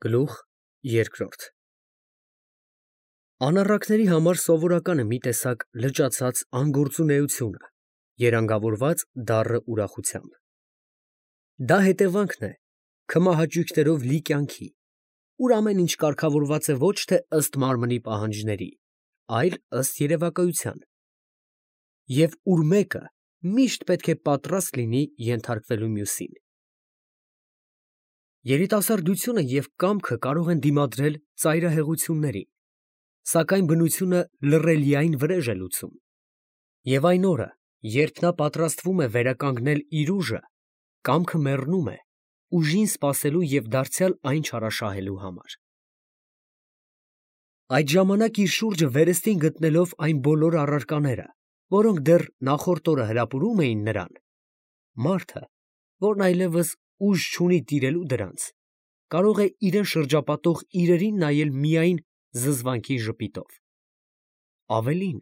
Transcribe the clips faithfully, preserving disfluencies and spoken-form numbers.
Գլուխ երկրորդ Անառակների համար սովորական է մի տեսակ լճացած անգործունեությունը, երանգավորված դառը ուրախությամբ. դա հետևանքն է քմահաճույքներով լի կյանքի, ուր ամեն ինչ կարգավորված է ոչ թե ըստ մարմնի պահանջների, այլ ըստ երևակայության, և ուր մեկը միշտ պետք է պատրաստ լինի ենթարկվելու մյուսին։ Երիտասարդությունը և կամքը կարող են դիմադրել ծայրահեղություններին, սակայն բնությունը լռելիայն վրեժ է լուծում, և այն օրը, երբ նա պատրաստվում է վերականգնել իր ուժը, կամքը մեռնում է ուժին սպասելու և դարձյալ այն չարաշահելու համար։ Այդ ժամանակ իր շուրջը վերստին գտնելով այն բոլոր առարկաները, որոնք դեռ նախորդ օրը հրապուրում էին նրան, մարդը, որն այլևս ուժ չունի տիրելու դրանց, կարող է իրան շրջապատող իրերին նայել միայն զզվանքի ժպիտով։ Ավելին,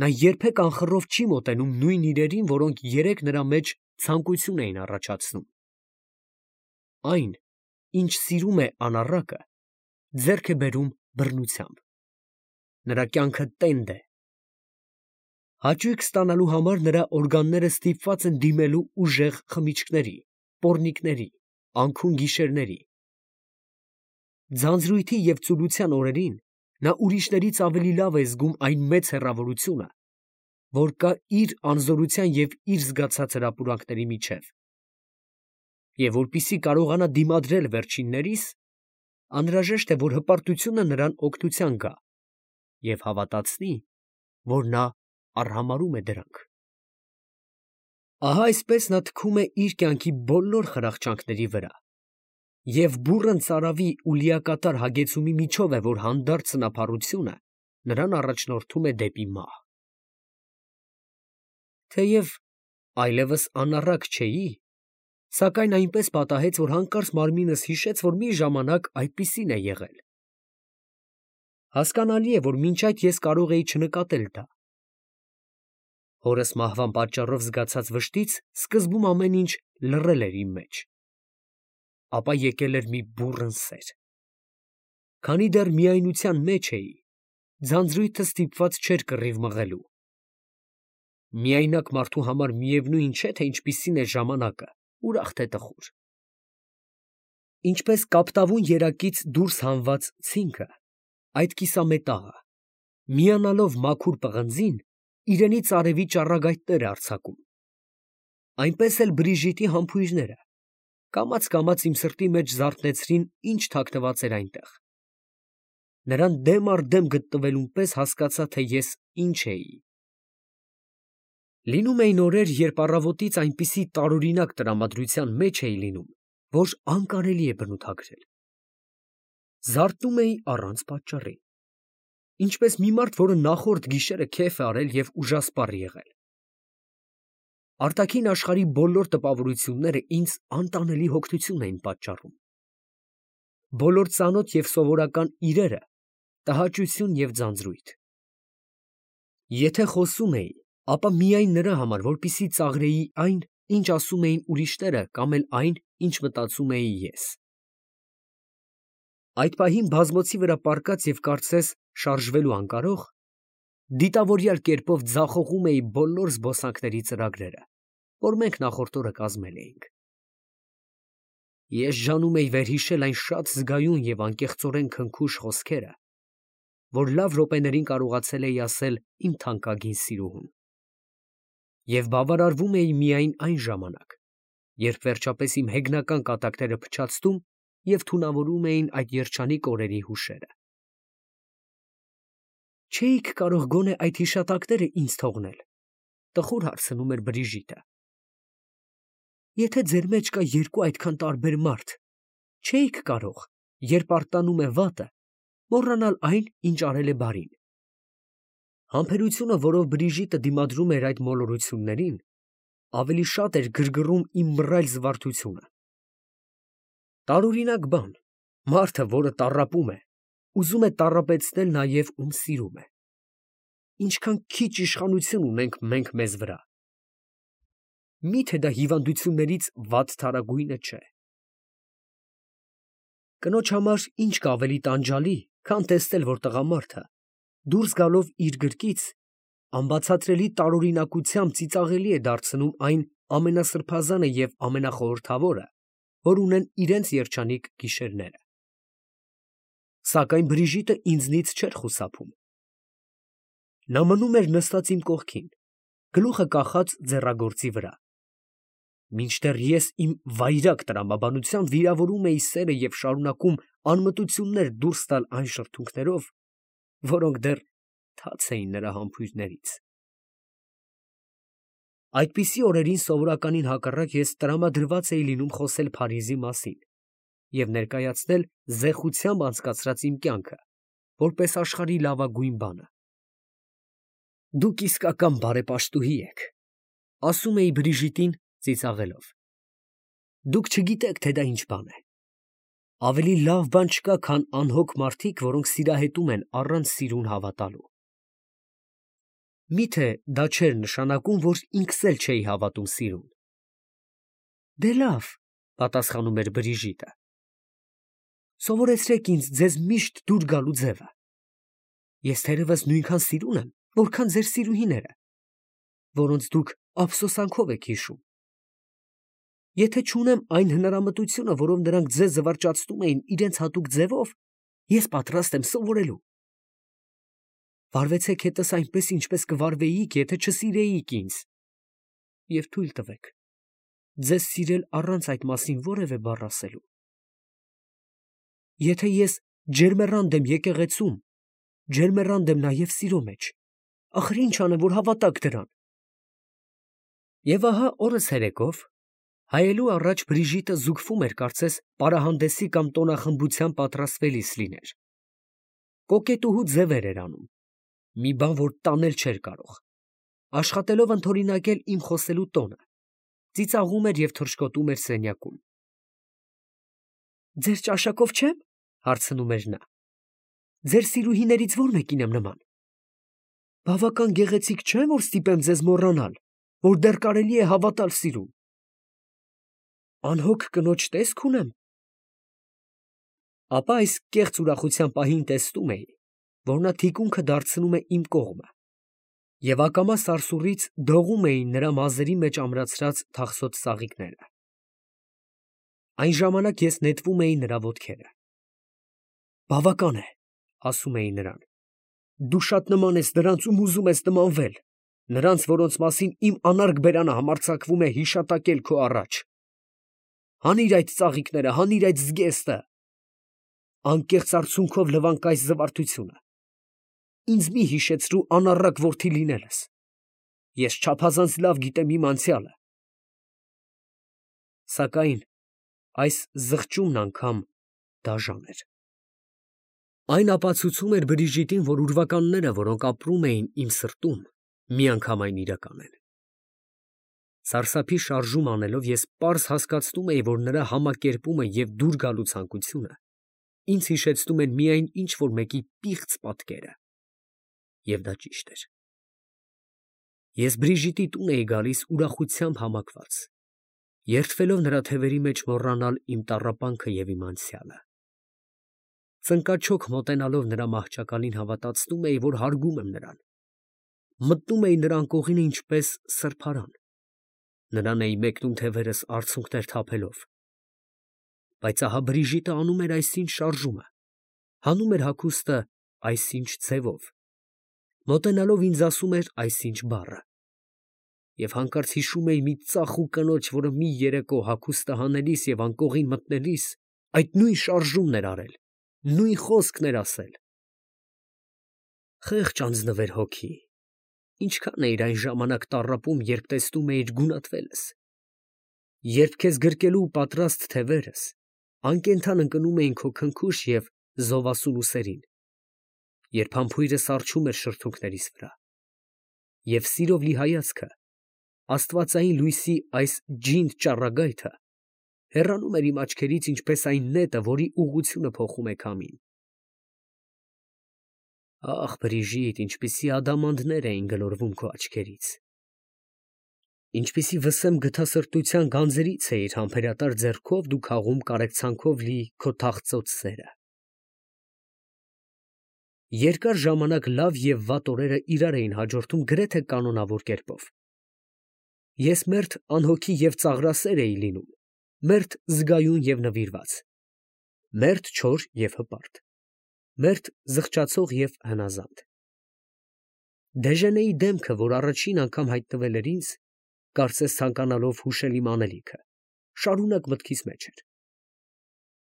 նա երբեք անխռով չի մոտենում նույն իրերին, որոնք երեկ նրա մեջ ցանկություն էին առաջացնում։ Այն, ինչ սիրում է անառակը, ձեռք է բերում բռնությամբ։ Նրա կյանքը տենդ է։ Հաճույք ստանալու համար նրա օրգանները ստիպված են դիմելու ուժեղ խմիչքների, պոռնիկների, անքուն գիշերների։ Ձանձրույթի և ծուլության օրերին նա ուրիշներից ավելի լավ է զգում այն մեծ հեռավորությունը, որ կա իր անզորության և իր զգացած հրապուրանքների միջև, և որպեսզի կարողանա դիմադրել վերջիններիս, անհրաժեշտ է, որ հպարտությունը նրան օգնության գա և հավատացնի, որ նա արհամարհում է դրանք։ Ահա այսպես նա թքում է իր կյանքի բոլոր խրախճանքների վրա, և բուռն ծարավի ու լիակատար հագեցումի միջով է, որ հանդարտ սնափառությունը նրան առաջնորդում է դեպի մահ։ Թեև այլևս անառակ չէի, սակայն այնպես պատահեց, որ հանկարծ մարմինս հիշեց, որ մի ժամանակ այդպիսին է եղել։ Հասկանալի է, որ մինչ այդ ես կարող էի չնկատել դա։ Հորս մահվան պատճառով զգացած վշտից սկզբում ամեն ինչ լռել էր իմ մեջ, ապա եկել էր մի բուռն սեր։ Քանի դեռ միայնության մեջ էի, ձանձրույթը ստիպված չէր կռիվ մղելու։ Միայնակ մարդու համար միևնույն չէ, թե ինչպիսին է ժամանակը, ուրախ թե տխուր։ Ինչպես կապտավուն երակից դուրս հանված ցինքը, այդ կիսամետաղը, միանալով մաքուր պղնձին, իրենից արևի ճառագայթներ է արձակում, այնպես էլ Բրիժիտի համբույրները կամաց֊կամաց իմ սրտի մեջ զարթնեցրին, ինչ թաքնված էր այնտեղ։ Նրան դեմ առ դեմ գտնվելուն պես հասկացա, թե ես ինչ էի։ Լինում էին օրեր, երբ առավոտից այնպիսի տարօրինակ տրամադրության մեջ էի լինում, որ անկարելի է բնութագրել։ Զարթնում էի առանց պատճառի, ինչպես մի մարդ, որը նախորդ գիշերը քեֆ է արել և ուժասպառ եղել։ Արտաքին աշխարհի բոլոր տպավորությունները ինձ անտանելի հոգնություն էին պատճառում։ Բոլոր ծանոթ և սովորական իրերը տհաճություն և ձանձրույթ։ Եթե խոսում էի, ապա միայն նրա համար, որպեսզի ծաղրեի այն, ինչ ասում էին ուրիշները, կամ էլ այն, ինչ մտածում էի ես։ Այդ պահին բազմոցի վրա պառկած և կարծես շարժվելու անկարող, դիտավորյալ կերպով ձախողում էի բոլոր զբոսանքների ծրագրերը, որ մենք նախորդ օրը կազմել էինք։ Ես ջանում էի վերհիշել այն շատ զգայուն և անկեղծորեն քնքուշ խոսքերը, որ լավ րոպեներին կարողացել էի ասել իմ թանկագին սիրուհուն։ Եվ բավարարվում էի միայն այն ժամանակ, երբ վերջապես իմ հեգնական կատակները փչացնում և թունավորում էին այդ երջանիկ օրերի հուշերը։ Չէի՞ք կարող գոնե այդ հիշատակները ինձ թողնել, ֊ տխուր հարցնում էր Բրիժիտը։ Եթե ձեր մեջ կա երկու այդքան տարբեր մարդ, չէի՞ք կարող, երբ արտանում է վատը, մոռանալ այն, ինչ արել է բարին։ Համբերությունը, որով Բրիժիտը դիմադրում էր այդ մոլորություններին, ավելի շատ էր գրգռում իմ մռայլ զվարթությունը։ Տարօրինակ բան, մարդը, որը տառապում է, ուզում է տառապեցնել նաև, ում սիրում է։ Ինչքան քիչ իշխանություն ունենք մենք մեզ վրա։ Մի՞թե դա հիվանդություններից վատ թարագույնը չէ։ Կնոջ համար ինչ կա ավելի տանջալի, քան տեսնել, որ տղամարդը, դուրս գալով իր գրկից, անբացատրելի տարօրինակությամբ ծիծաղելի է դարձնում այն ամենասրբազանը և ամենախորհրդավորը, որ ունեն իրենց երջանիկ գիշերները։ Սակայն Բրիժիտը ինձնից չէր խուսափում. նա մնում էր նստած իմ կողքին, գլուխը կախած ձեռագործի վրա, մինչդեռ ես իմ վայրագ տրամաբանությամբ վիրավորում էի սերը և շարունակում անմտություններ դուրս տալ այն շրթունքներով, որոնք դեռ թաց էին նրա համբույրներից։ Այդպիսի օրերին սովորականին հակառակ ես տրամադրված էի լինում խոսել Փարիզի մասին և ներկայացնել զեխությամբ անցկացրած իմ կյանքը, որպես աշխարհի լավագույն բանը։ «Դուք իսկական բարեպաշտուհի եք», ֊ ասում էի Բրիժիտին ծիծաղելով։ «Դուք չգիտեք, թե դա ինչ բան է։ Ավելի լավ բան չկա, քան անհոգ մարդիկ, որոնք սիրահետում են առանց սիրուն հավատալու»։ Մի՞թե դա չէր նշանակում, որ ինքս էլ չէի հավատում սիրուն։ «Դե լավ, ֊ պատասխանում էր Բրիժիտը, ֊ սովորեցրեք ինձ ձեզ միշտ դուր գալու ձևը։ Ես թերևս նույնքան սիրուն եմ, որքան ձեր սիրուհիները, որոնց դուք ափսոսանքով եք հիշում։ Եթե չունեմ այն հնարամտությունը, որով նրանք ձեզ զվարճացնում էին իրենց հատուկ ձևով, ես պատրաստ եմ սովորելու։ Վարվեցեք հետս այնպես, ինչպես կվարվեիք, եթե չսիրեիք ինձ, և թույլ տվեք ձեզ սիրել առանց այդ մասին որևէ բառ ասելու։ Եթե ես ջերմեռանդ եմ եկեղեցում, ջերմեռանդ եմ նաև սիրո մեջ, ախր ի՞նչ անեմ, որ հավատաք դրան։ Եվ ահա օրս ցերեկով, հայելու առաջ Բրիժիտը զուգվում էր կարծես պարահանդեսի կամ տոնախմբության պատրաստվելիս լիներ։ Կոկետուհու ձևեր էր անում, մի բան, որ տանել չէր կարող, աշխատելով ընդօրինակել իմ խոսելու տոնը, ծիծաղում էր և թռչկոտում էր սենյակում։ «Ձեր ճաշակով չե՞մ, ֊ հարցնում էր նա, ֊ ձեր սիրուհիներից ո՞ր մեկին եմ նման։ Բավական գեղեցիկ չէ՞, որ ստիպեմ ձեզ մոռանալ, որ դեռ կարելի է հավատալ սիրուն։ Անհոգ կնոջ տեսք ունեմ»։ Ապա այս կեղծ ուրախության պահին տեսնում էի, որ նա թիկունքը դարձնում է իմ կողմը, և ակամա սարսուռից դողում էին նրա մազերի մեջ ամրացրած թախսոտ ծաղիկները։ Այն ժամանակ ես նետվում էի նրա ոտքերը։ «Բավական է, ֊ ասում էի նրան, ֊ դու շատ նման ես նրանց, ում ուզում ես նմանվել, նրանց, որոնց մասին իմ անարգ բերանը համարձակվում է հիշատակել քո առաջ։ Հանիր այդ ծաղիկները, հանիր այդ զգեստը, անկեղծ արցունքով լվանք այս զվարթությունը։ Ինձ մի հիշեցրու անառակ որդի լինելս, ես չափազանց լավ գիտեմ իմ անցյալը»։ Սակայն այս զղջումն անգամ դաժան էր։ Այն ապացուցում էր Բրիժիտին, որ ուրվականները, որոնք ապրում էին իմ սրտում, միանգամայն իրական են։ Սարսափի շարժում անելով ես պարզ հասկացնում էի, որ նրա համակերպումը և դուր գալու ցանկությունը ինձ հիշեցնում են միայն ինչ֊որ մեկի պիղծ պատկերը։ Եվ դա ճիշտ էր։ Ես Բրիժիտի տուն էի գալիս ուրախությամբ համակված, երդվելով նրա թևերի մեջ մոռանալ իմ տառապանքը և իմ անցյալը։ Ծնկաչոք մոտենալով նրա մահճակալին հավատացնում էի, որ հարգում եմ նրան, մտնում էի նրա անկողինը ինչպես սրբարան, նրան էի մեկնում թևերս արցունքներ թափելով։ Բայց ահա Բրիժիտը անում էր այսինչ շարժումը, հանում էր հագուստը այսինչ ձևով, մոտենալով ինձ ասում էր այսինչ բառը։ Եվ հանկարծ հիշում էի մի ծախու կնոջ, որը մի երեկո հագուստը հանելիս և անկողին մտնելիս այդ նույն շարժումն էր արել, նույն խոսքն էր ասել։ Խեղճ անձնվեր հոգի, ինչքան էիր այն ժամանակ տառապում, երբ տեսնում էիր գունատվելս, երբ քեզ գրկելու պատրաստ թևերս անկենդան ընկնում էին քո քնքուշ և զովասուն ուսերին, երբ համբույրս առչում էր շրթունքներիս վրա, և սիրով լի հայացքը, աստվածային լույսի այս ջինդ ճառագայթը հեռանում էր իմ աչքերից, ինչպես այն նետը, որի ուղղությունը փոխում է քամին։ Ա՜խ, Բրիժիտ, ինչպիսի ադամանդներ էին գլորվում քո աչքերից։ Ինչպիսի վսեմ գթասրտության գանձերից էիր համբերատար ձեռքով դու քաղում կարեկցանքով լի քո թախծոց սերը։ Երկար ժամանակ լավ և վատ օրերը իրար էին հաջորդում գրեթե կանոնավոր կերպով։ Ես մերթ անհոգի և ծաղրասեր էի լինում, մերթ զգայուն և նվիրված, մերթ չոր և հպարտ, մերթ զղջացող և հնազանդ։ Դեժենեի դեմքը, որ առաջին անգամ հայտնվել էր ինձ, կարծես ցանկանալով հուշել իմ անելիքը, շարունակ մտքիս մեջ էր։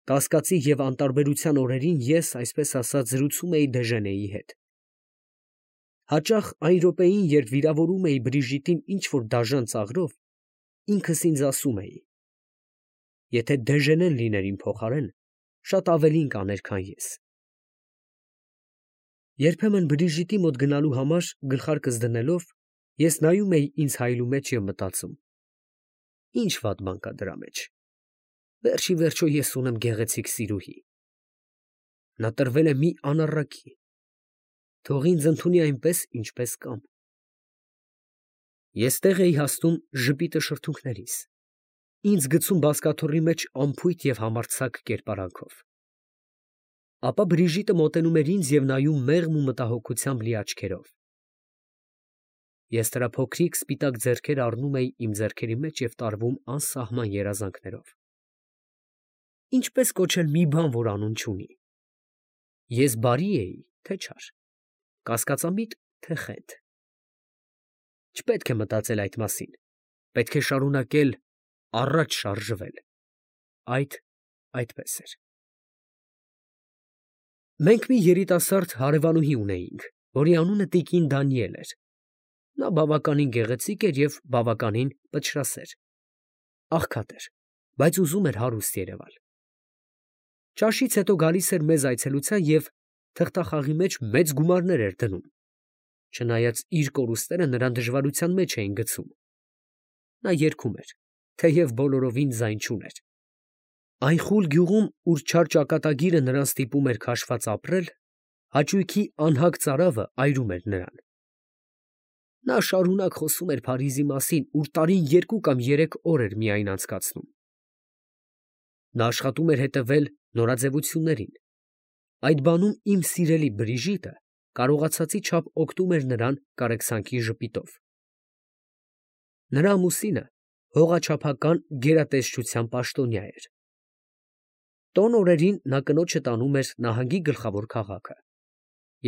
Կասկածի և անտարբերության օրերին ես, այսպես ասած, զրուցում էի Դեժենեի հետ։ Հաճախ այն րոպեին, երբ վիրավորում էի Բրիժիտին ինչ֊որ դաժան ծաղրով, ինքս ինձ ասում էի. եթե Դեժենեն լիներ իմ փոխարեն, շատ ավելին կաներ, քան ես։ Երբեմն Բրիժիտի մոտ գնալու համար գլխարկս դնելով, ես նայում էի ինձ հայելու մեջ և մտածում. ի՞նչ վատ բան կա դրա մեջ։ Վերջ ի վերջո ես ունեմ գեղեցիկ սիրուհի։ Նա տրվել է մի անառակի, թող ինձ ընդունի այնպես, ինչպես կամ։ Ես տեղ էի հասնում ժպիտը շրթունքներիս, ինձ գցում բազկաթոռի մեջ անփույթ և համարձակ կերպարանքով։ Ապա Բրիժիտը մոտենում էր ինձ և նայում մեղմ ու մտահոգությամբ լի աչքերով։ Ես նրա փոքրիկ սպիտակ ձեռքերը առնում էի իմ ձեռքերի մեջ և տարվում անսահման երազանքներով։ Ինչպե՞ս կոչել մի բան, որ անուն չունի։ Ես բարի էի, թե չար, կասկածամիտ, թե խենթ։ Չպետք է մտածել այդ մասին, պետք է շարունակել առաջ շարժվել։ Այդ այդպես էր։ Մենք մի երիտասարդ հարևանուհի ունեինք, որի անունը տիկին Դանիել էր։ Նա բավականին գեղեցիկ էր և բավականին պչրասեր, աղքատ էր, բայց ուզում էր հարուստ երևալ։ Ճաշից հետո գալիս էր մեզ այցելության և թղթախաղի մեջ մեծ գումարներ էր դնում, չնայած իր կորուստները նրան դժվարության մեջ էին գցում։ Նա երգում էր, թեև բոլորովին ձայն չուներ։ Այն խուլ գյուղում, ուր չար ճակատագիրը նրան ստիպում էր քաշված ապրել, հաճույքի անհագ ծարավը այրում էր նրան։ Նա շարունակ խոսում էր Փարիզի մասին, ուր տարին երկու կամ երեք օր էր միայն անցկացնում։ Նա աշխատում էր հետևել նորաձևություններին։ Այդ բանում իմ սիրելի Բրիժիտը կարողացածի չափ օգնում էր նրան կարեկցանքի ժպիտով։ Նրա ամուսինը հողաչափական գերատեսչության պաշտոնյա էր։ Տոն օրերին նա կնոջը տանում էր նահանգի գլխավոր քաղաքը,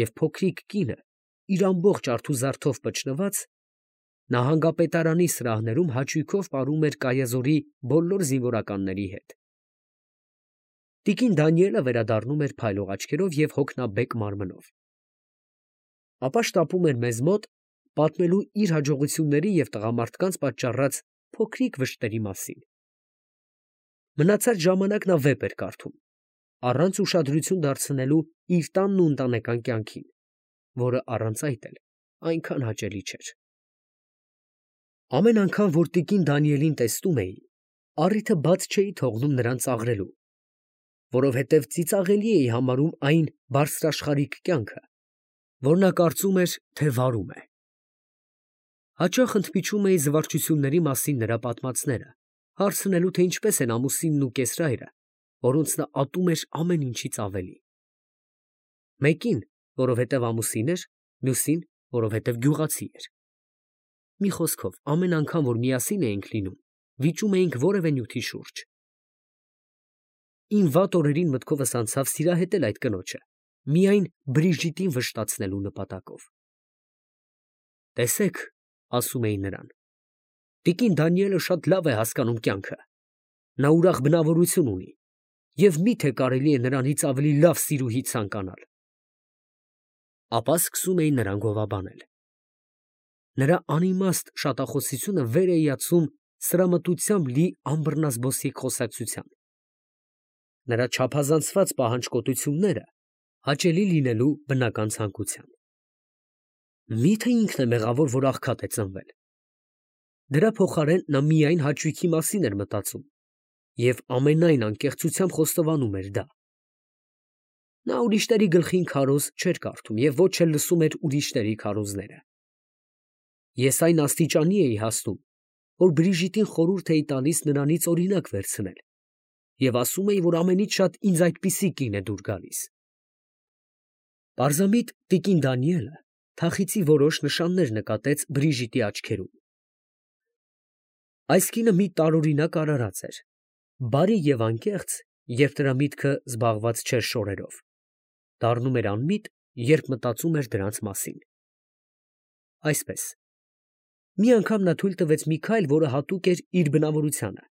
և փոքրիկ կինը, իր ամբողջ արթուզարդով պչնված, նահանգապետարանի սրահներում հաճույքով պարում էր Կայազորի բոլոր զինվորականների հետ։ Տիկին Դանիելը վերադառնում էր փայլող աչքերով և հոգնաբեկ մարմնով։ Ապա շտապում էր մեզ մոտ, պատմելու իր հաջողությունների և տղամարդկանց պատճառած փոքրիկ վշտերի մասին։ Մնացած ժամանակ նա վեպ էր կարդում, առանց ուշադրություն դարձնելու իր տանն ու ընտանեկան կյանքին, որը առանց այդ էլ այնքան հաճելի չէր։ Ամեն անգամ, որ տիկին Դանիելին տեսնում էի, առիթը բաց չէի թողնում նրան ծաղրելու, որովհետև ծիծաղելի էի համարում այն բարձրաշխարհիկ կյանքը, որ նա կարծում էր, թե վարում է։ Հաճախ ընդմիջում էի զվարճությունների մասին նրա պատմածները, հարցնելու, թե ինչպես են ամուսինն ու կեսրայրը, որոնց նա ատում էր ամեն ինչից ավելի։ Մեկին, որովհետև ամուսին էր, մյուսին, որովհետև գյուղացի էր։ Մի խոսքով, ամեն անգամ, որ միասին էինք լինում, վիճում էինք որևէ նյութի շուրջ։ Իմ վատ օրերին մտքովս անցավ սիրահետել այդ կնոջը, միայն Բրիժիտին վշտացնելու նպատակով։ Տեսեք, ասում էի նրան, տիկին Դանիելը շատ լավ է հասկանում կյանքը, նա ուրախ բնավորություն ունի, և մի՞թե կարելի է նրանից ավելի լավ սիրուհի ցանկանալ։ Ապա սկսում էի նրան գովաբանել։ Նրա անիմաստ շատախոսությունը վեր է իացում սրամտությամբ լի անբռնազբոսիկ խոսակցության։ Նրա չափազանցված պահանջկոտությունները հաճելի լինելու բնական ցանկության։ Մի՞թե ինքն է մեղավոր, որ աղքատ է ծնվել։ Դրա փոխարեն նա միայն հաճույքի մասին էր մտածում և ամենայն անկեղծությամբ խոստովանում էր դա։ Նա ուրիշների գլխին քարոզ չէր կարդում և ոչ էլ լսում էր ուրիշների քարոզները։ Ես այն աստիճանի էի հասնում, որ Բրիժիտին խորհուրդ էի տալիս նրանից օրինակ վերցնել, և ասում էի, որ ամենից շատ ինձ այդպիսի կին է դուր գալիս։ Պարզամիտ տիկին Դանիելը թախիծի որոշ նշաններ նկատեց Բրիժիտի աչքերում։ Այս կինը մի տարօրինակ արարած էր, բարի և անկեղծ, երբ նրա միտքը զբաղված չէր շորերով, դառնում էր անմիտ, երբ մտածում էր դրանց մասին։ Այսպես, մի անգամ նա թույլ տվեց մի քայլ, որը հատուկ էր իր բնավորությանը,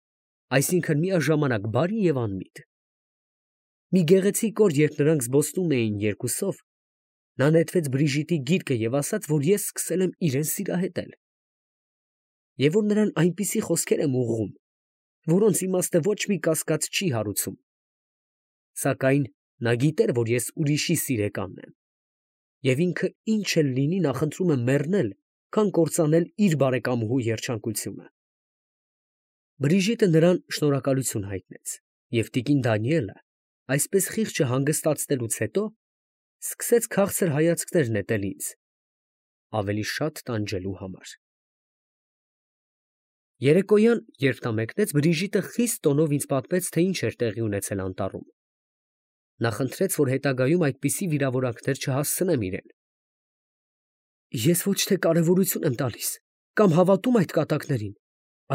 այսինքն միաժամանակ բարի և անմիտ։ Մի գեղեցիկ օր, երբ նրանք զբոսնում էին երկուսով, նա նետվեց Բրիժիտի գիրկը և ասաց, որ ես սկսել եմ իրեն սիրահետել, և որ նրան այնպիսի խոսքեր եմ ուղղում, որոնց իմաստը ոչ մի կասկած չի հարուցում, սակայն նա գիտեր, որ ես ուրիշի սիրեկանն եմ, և ինքը ինչ էլ լինի նախընտրում է մեռնել, քան կործանել իր բարեկամուհու երջանկությունը։ Բրիժիտը նրան շնորհակալություն հայտնեց, և տիկին Դանիելը, այսպես խիղճը հանգստացնելուց հետո, սկսեց քաղցր հայացքներ նետել ինձ, ավելի շատ տանջելու համար։ Երեկոյան, երբ նա մեկնեց, Բրիժիտը խիստ տոնով ինձ պատմեց, թե ինչ էր տեղի ունեցել անտառում։ Նա խնդրեց, որ հետագայում այդպիսի վիրավորանքներ չհասցնեմ իրեն։ Ես ոչ թե կարևորություն եմ տալիս կամ հավատում այդ կատակներին,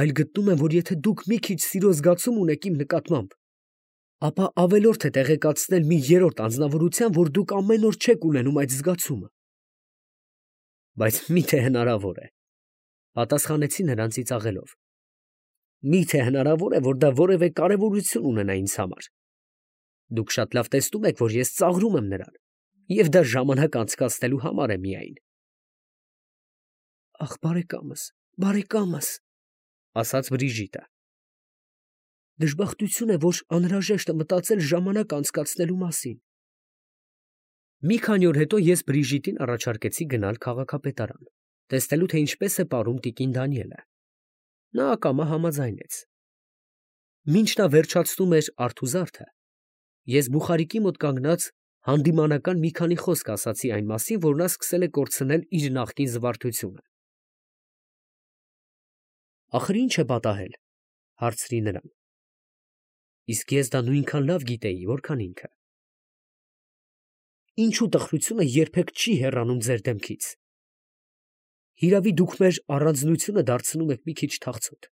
այլ գտնում եմ, որ եթե դուք մի քիչ սիրո զգացում ունեք իմ նկատմամբ, ապա ավելորդ է տեղեկացնել մի երրորդ անձնավորության, որ դուք ամեն օր չեք ունենում այդ զգացումը։ Բայց մի՞թե հնարավոր է, պատասխանեցի նրան ծիծաղելով։ Մի՞թե հնարավոր է, որ դա որևէ կարևորություն ունենա ինձ համար։ Դուք շատ լավ տեսնում եք, որ ես ծաղրում եմ նրան, և դա ժամանակ անցկացնելու համար է միայն։ Ախ, բարեկամս, բարեկամս, ասաց Բրիժիտը։ Դժբախտություն է, որ անհրաժեշտ է մտածել ժամանակ անցկացնելու մասին։ Մի քանի օր հետո ես Բրիժիտին առաջարկեցի գնալ քաղաքապետարան, տեսնելու, թե ինչպես է ապրում տիկին Դանիելը։ Նա ակամա համաձայնեց։ Մինչ նա վերջացնում էր արթուզարդը, ես Բուխարիկի մոտ կանգնած հանդիմանական մի քանի խոսք ասացի այն մասին, որ նա սկսել է կորցնել իր նախկին զվարթությունը։ Ախր ի՞նչ է պատահել, հարցրի նրան։ Իսկ ես դա նույնքան լավ գիտեի, որքան ինքը։ Ինչու տխրությունը երբեք չի հեռանում ձեր դեմքից։ Հիրավի դուք մեր առանձնությունը դարձնում եք մի քիչ թախծոտ։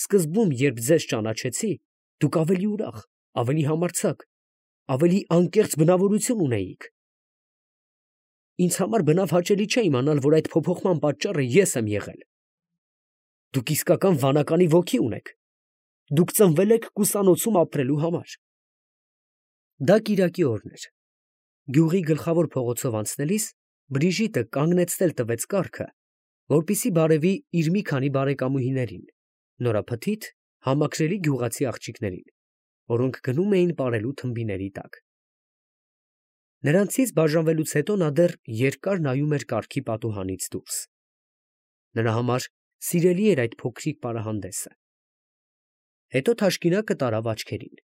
Սկզբում, երբ ձեզ ճանաչեցի, դուք ավելի ուրախ, ավելի համարձակ, ավելի անկեղծ բնավորություն ունեիք։ Ինձ համար բնավ հաճելի չէ իմանալ, որ այդ փոփոխման պատճառը ես եմ եղել։ Դուք իսկական վանականի ոգի ունեք։ Դուք ծնվել եք կուսանոցում ապրելու համար։ Դա կիրակի օրն էր։ Գյուղի գլխավոր փողոցով անցնելիս Բրիժիտը կանգնեցնել տվեց կառքը, որպեսզի բարևի իր մի քանի բարեկամուհիներին, նորափթիթ, համակրելի գյուղացի աղջիկներին, որոնք գնում էին պարելու թմբիների տակ։ Նրանցից բաժանվելուց հետո նա դեռ երկար նայում էր կառքի պատուհանից դուրս։ Նրա համար սիրելի էր այդ փոքրիկ պարահանդեսը։ Հետո թաշկինակը տարավ աչքերին։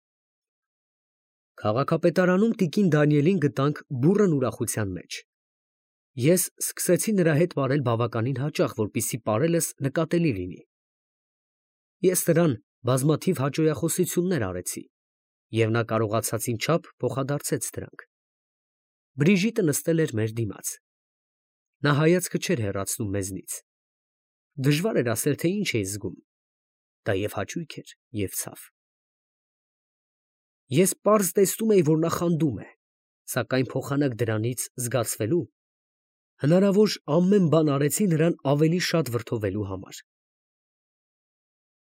Քաղաքապետարանում տիկին Դանիելին գտանք բուռն ուրախության մեջ։ Ես սկսեցի նրա հետ պարել բավականին հաճախ, որպեսզի պարելս նկատելի լինի։ Ես նրան բազմաթիվ հաճոյախոսություններ արեցի, և նա կարողացածին չափ փոխադարձեց դրանք։ Բրիժիտը նստել էր մեր դիմաց։ Նա հայացքը չէր հեռացնում մեզնից։ Դժվար էր ասել, թե ինչ էի զգում։ Դա և հաճույք էր, և ցավ։ Ես պարզ տեսնում էի, որ նա խանդում է, սակայն փոխանակ դրանից զգացվելու, հնարավոր ամեն բան արեցի նրան ավելի շատ վրդովելու համար։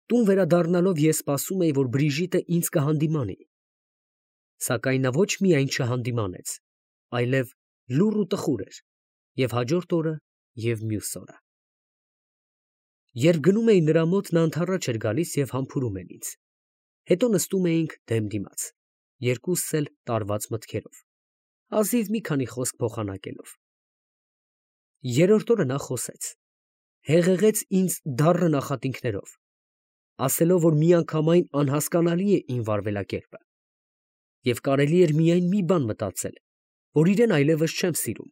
Տուն վերադառնալով ես սպասում էի, որ Բրիժիտը ինձ կհանդիմանի, սակայն նա ոչ միայն չհանդիմանեց, այլև լուռ ու տխուր էր և հաջորդ օրը, և մյուս օրը։ Երբ գնում էի նրա մոտ, նա ընդառաջ էր գալիս և համբուրում էր ինձ։ Հետո նստում էինք դեմ դիմաց, երկուսս էլ տարված մտքերով, հազիվ մի քանի խոսք փոխանակելով։ Երրորդ օրը նա խոսեց, հեղեղեց ինձ դառն նախատինքներով, ասելով, որ միանգամայն անհասկանալի է իմ վարվելակերպը, և կարելի էր միայն մի բան մտածել, որ իրեն այլևս չեմ սիրում։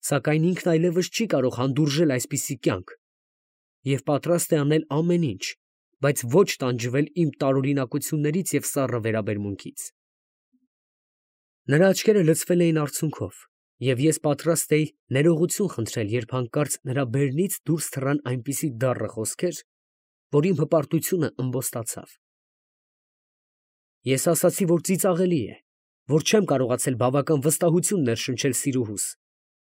Սակայն ինքն այլևս չի կարող հանդուրժել այսպիսի կյանք, և պատրաստ է անել ամեն ինչ, բայց ոչ տանջվել իմ տարօրինակություններից և սառը վերաբերմունքից։ Նրա աչքերը լցվել էին արցունքով, և ես պատրաստ էի ներողություն խնդրել, երբ հանկարծ նրա բերնից դուրս թռան այնպիսի դառը խոսքեր, որ իմ հպարտությունը ըմբոստացավ։ Ես ասացի, որ ծիծաղելի է, որ չեմ կարողացել բավական վստահություն ներշնչել սիրուհուս,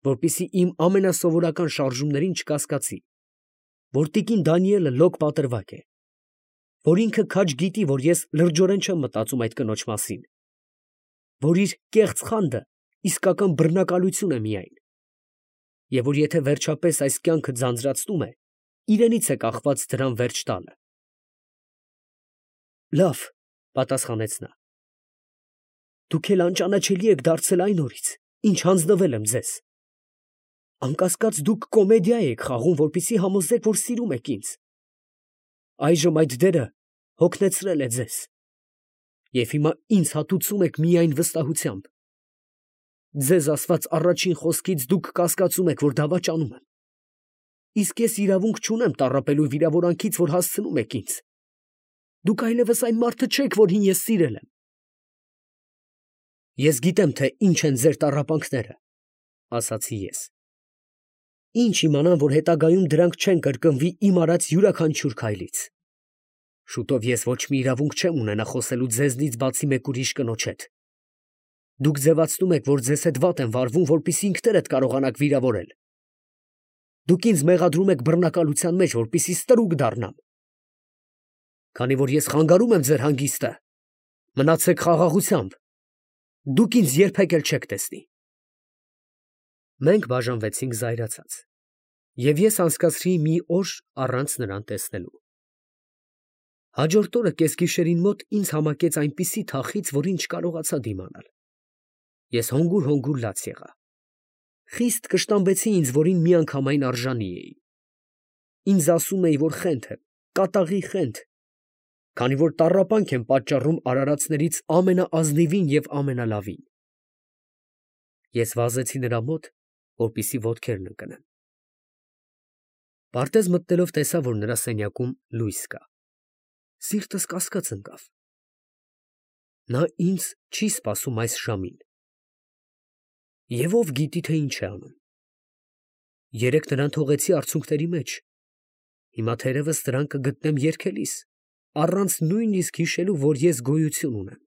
որպեսզի իմ ամենասովորական շարժումներին չկասկածի, որ տիկին Դանիելը լոկ պատրվակ է, որ ինքը քաջ գիտի, որ ես լրջորեն չեմ մտածում այդ կնոջ մասին, որ իր կեղծ խանդը իսկական բռնակալություն է միայն, և որ եթե վերջապես այս կյանքը ձանձրացնում է, իրենից է կախված դրան վերջ տալը։ Լավ, պատասխանեց նա, դուք էլ անճանաչելի եք դարձել այն օրից, ինչ հանձնվել եմ ձեզ. անկասկած դուք կոմեդիա եք խաղում, որպեսզի համոզեք, որ սիրում եք ինձ. այժմ այդ դերը հոգնեցրել է ձեզ, և հիմա ինձ հատուցում եք միայն վստահությամբ. ձեզ ասված առաջին խոսքից դուք կասկածում եք, որ դավաճանում եմ, իսկ ես իրավունք չունեմ տառապելու վիրավորանքից, որ հասցնում եք ինձ. դուք այլևս այն մարդը չեք, որին ես սիրել եմ։ Ես գիտեմ, թե ինչ են ձեր տառապանքները, ասացի ես։ Ինչ իմանամ, որ հետագայում դրանք չեն կրկնվի իմ արած յուրաքանչյուր քայլից։ Շուտով ես ոչ մի իրավունք չեմ ունենա խոսելու ձեզնից բացի մեկ ուրիշ կնոջ հետ։ Դուք ձևացնում եք, որ ձեզ հետ վատ են վարվում, որպեսզի ինքներդ կարողանաք վիրավորել։ Դուք ինձ մեղադրում եք բռնակալության մեջ, որպեսզի ստրուկ դառնամ։ Քանի որ ես խանգարում եմ ձեր հանգիստը, մնացեք խաղաղությամբ։ Դուք ինձ երբեք էլ չեք տեսնի։ Մենք բաժանվեցինք զայրացած, և ես անցկացրի մի օր առանց նրան տեսնելու։ Հաջորդ օրը կեսգիշերին մոտ ինձ համակեց այնպիսի թախիծ, որին չկարողացա դիմանալ։ Ես հանգուր֊հանգուր լաց եղա։ Խիստ կշտամբեցի ինձ, որին միանգամայն արժանի էի։ Ինձ ասում էի, որ խենթ եմ, կատաղի խենթ, քանի որ տառապանք եմ պատճառում արարածներից ամենաազնիվին և ամենալավին։ Ես վազեցի նրա մոտ, որպեսզի ոտքերն ընկնեմ։ Պարտեզ մտնելով տեսա, որ նրա սենյակում լույս կա։ Սիրտս կասկած ընկավ։ Նա ինձ չի սպասում այս ժամին։ Եվ ով գիտի, թե ինչ է անում։ Երեկ նրան թողեցի արցունքների մեջ, հիմա թերևս նրան կգտնեմ երգելիս, առանց նույնիսկ հիշելու, որ ես գոյություն ունեմ։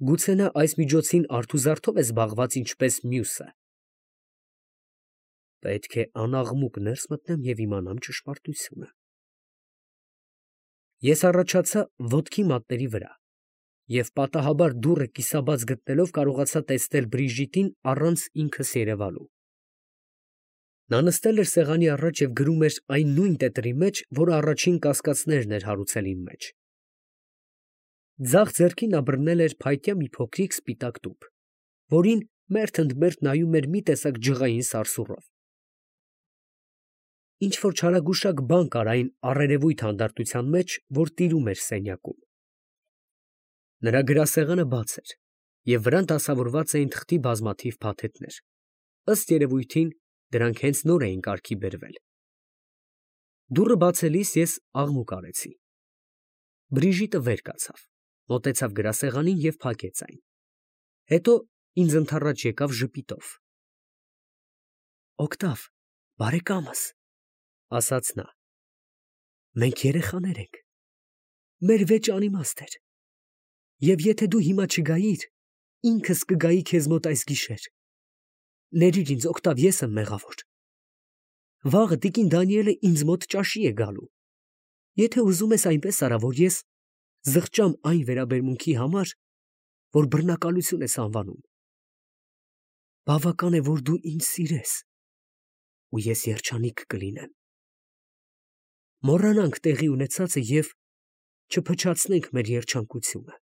Գուցե նա այս միջոցին արթուզարդով է զբաղված ինչպես մյուսը։ Պետք է անաղմուկ ներս մտնեմ և իմանամ ճշմարտությունը։ Ես առաջացա ոտքի մատների վրա և պատահաբար դուռը կիսաբաց գտնելով կարողացա տեսնել Բրիժիտին առանց ինքս երևալու։ Նա նստել էր սեղանի առաջ և գրում էր այն նույն տետրի մեջ, որը առաջին կասկածներն էր հարուցել իմ մեջ։ Ձախ ձեռքին նա բռնել էր փայտյա մի փոքրիկ սպիտակ տուփ, որին մերթ ընդ մերթ նայում էր մի տեսակ ջղային սարսուռով։ Ինչ֊որ չարագուշակ բան կար այն առերևույթ հանդարտության մեջ, որ տիրում էր սենյակում։ Նրա գրասեղանը բաց էր, և վրան դասավորված էին թղթի բազմաթիվ փաթեթներ։ Ըստ երևույթին, դրանք հենց նոր էին կարգի բերվել։ Դուռը բացելիս ես աղմուկ արեցի։ Բրիժիտը վեր կացավ, մոտեցավ գրասեղանին և փակեց այն։ Հետո ինձ ընդառաջ եկավ ժպիտով։ Օգտավ, բարեկամս, ասաց նա, մենք երեխաներ ենք, մեր վեճը անիմաստ էր, և եթե դու հիմա չգայիր, ինքս կգայի քեզ մոտ այս գիշեր։ Ներիր ինձ, Օգտավ, ես եմ մեղավոր։ Վաղը տիկին Դանիելը ինձ մոտ ճաշի է գալու։ Եթե ուզում ես, այնպես արա, որ ես զղջամ այն վերաբերմունքի համար, որ բռնակալություն ես անվանում։ Բավական է, որ դու ինձ սիրես, ու ես երջանիկ կլինեմ։ Մոռանանք տեղի ունեցածը և չփչացնենք մեր երջանկությունը։